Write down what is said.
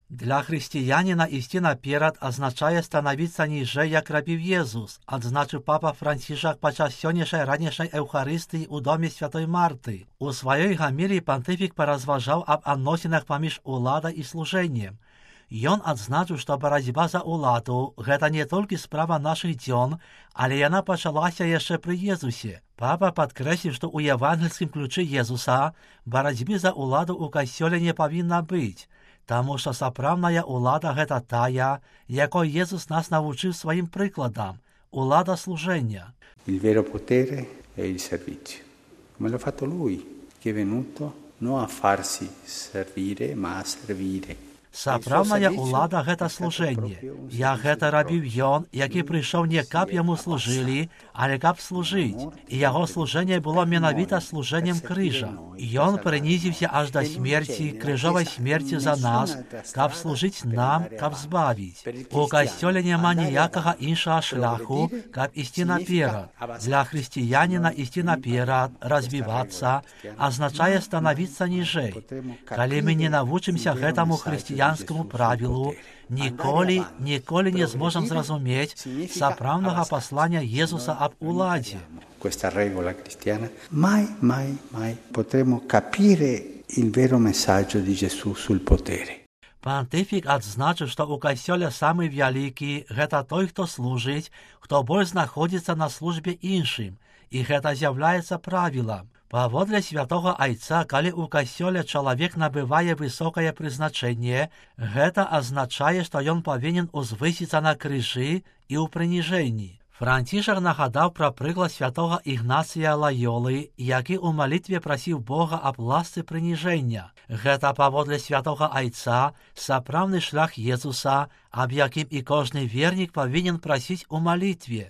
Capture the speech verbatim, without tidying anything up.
Для християнина істи наперад азначае становіцца ніжэй, як рабіў Езус, адзначыў папа Францішак падчас сённяшняй ранішняй эўхарыстыі ў доме святой Марты. У сваёй гаміліі пантыфік паразважаў аб адносінах паміж уладай і служэннем. Ён адзначыў, што барацьба за ўладу – гэта не толькі справа нашых дзён, але яна пачалася яшчэ пры Езусе. Папа падкрэсліў, што ў евангельскім ключы Езуса барацьбы за ўладу ў касцёле не павінна быць, таму што сапраўдная ўлада – гэта тая, якой Езус нас навучыў сваім прыкладам – улада служэння. Il vero potere è il servizio, come l'ha fatto lui, che è venuto non a farsi servire, ma a servire. Сапраўдная ўлада – гэта служэнне. Як гэта рабіў ён, які прыйшоў не каб яму служылі, але каб служыць. І яго служэнне было менавіта служэннем крыжа. Ён прынізіўся аж да смерці, крыжовай смерці за нас, каб служыць нам, каб збавіць. У касцёле няма ніякага іншага шляху, каб ісці наперад. Для хрысціяніна ісці наперад, развівацца, азначае станавіцца ніжэй. Калі мы не навучымся гэтаму хрысціянскаму правілу, ніколі, ніколі не зможам зразумець сапраўднага паслання Езуса аб уладзе. Questa regola cristiana, mai, mai, mai potremo capire il vero messaggio di Gesù sul potere. Пантыфік адзначыў, што ў касцёле самы вялікі – гэта той, хто служыць, хто больш знаходзіцца на службе іншым, і гэта з'яўляецца правілам. Паводле святога Айца, калі ў касцёле чалавек набывае высокае прызначэнне, гэта азначае, што ён павінен узвысіцца на крыжы і ў прыніжэнні. Францішак нагадаў пра прыклад святога Ігнацыя Лайолы, які ў малітве прасіў Бога аб ласцы прыніжэння. Гэта паводле святога Айца сапраўдны шлях Езуса, аб якім і кожны вернік павінен прасіць у малітве.